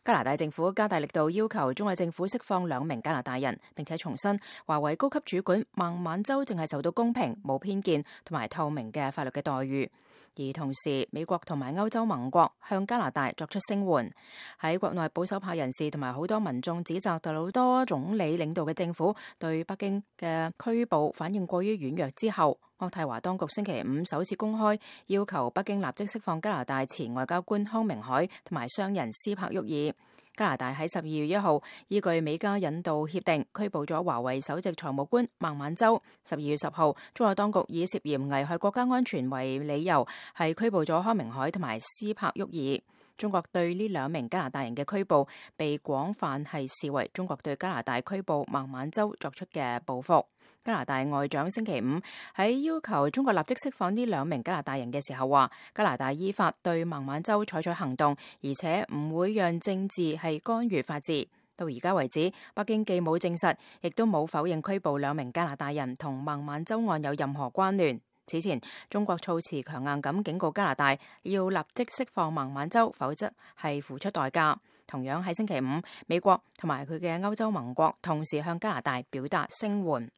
加拿大政府加大力度要求中國政府釋放2名加拿大人，並且重申華為高級主管孟晚舟正係受到公平、冇偏見同埋透明嘅法律嘅待遇。而同時，美國同埋歐洲盟國向加拿大作出聲援。喺國內保守派人士同埋好多民眾指責特魯多總理領導嘅政府對北京嘅拘捕反應過於軟弱之後，渥太華當局星期5首次公開要求北京立即釋放加拿大前外交官康明凱同埋商人斯柏沃爾。加拿大喺12月1號依據美加引渡協定拘捕咗華為首席財務官孟晚舟。12月10號，中國當局以涉嫌危害國家安全為理由，係拘捕咗康明凱同埋斯柏沃爾。中國對呢2名加拿大人嘅拘捕，被廣泛係視為中國對加拿大拘捕孟晚舟作出嘅報復。加拿大外長星期5喺要求中國立即釋放呢2名加拿大人嘅時候話，加拿大依法對孟晚舟採取行動，而且唔會讓政治係干預法治。到而家為止，北京既冇證實，亦都冇否認拘捕2名加拿大人同孟晚舟案有任何關聯。此前，中國措辭強硬咁警告加拿大要立即釋放孟晚舟，否則係付出代價。同樣喺星期5，美國同埋佢嘅歐洲盟國同時向加拿大表達聲援。